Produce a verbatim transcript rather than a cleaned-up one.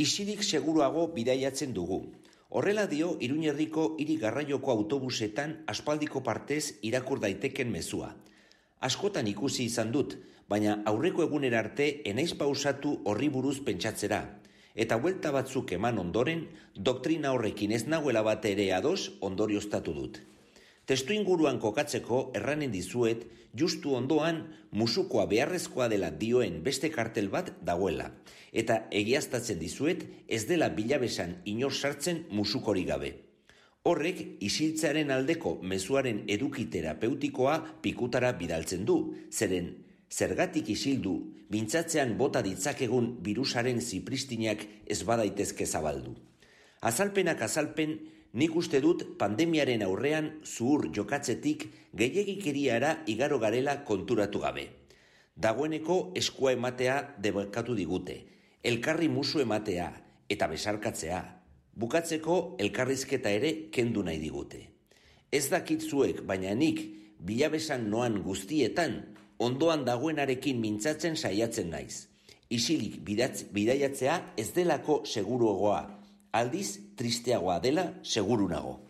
Isilik seguruago bidaiatzen dugu. Horrela dio Iruñerriko hiri garraioko autobusetan aspaldiko partez irakur daiteken mezua. Askotan ikusi izan dut, baina aurreko egunera arte enaiz pausatu horri buruz pentsatzera. Eta buelta batzuk eman ondoren, doktrina horrekin ez nagoela bat ere ados ondorioztatu dut. Testu inguruan kokatzeko erranen dizuet, justu ondoan musukoa beharrezkoa dela dioen beste kartel bat dagoela. Eta egiaztatzen dizuet ez dela bilabesan inor sartzen musukori gabe. Horrek isiltzearen aldeko mezuaren eduki terapeutikoa pikutara bidaltzen du, zeren zergatik isildu, mintzatzean bota ditzakegun birusaren zipristinak ez badaitezke zabaldu. Azalpenak azalpen, nik uste dut pandemiaren aurrean zuhur jokatzetik gehiegikeriara igaro garela konturatu gabe. Dagoeneko eskua ematea debekatu digute, elkarri musu ematea eta besarkatzea, bukatzeko elkarrizketa ere kendu nahi digute. Ez dakit zuek, baina nik bilabesan noan guztietan, ondoan dagoenarekin mintzatzen saiatzen naiz. Isilik bidaiatzea ez delako seguruagoa, aldiz tristeagoa dela seguru nago.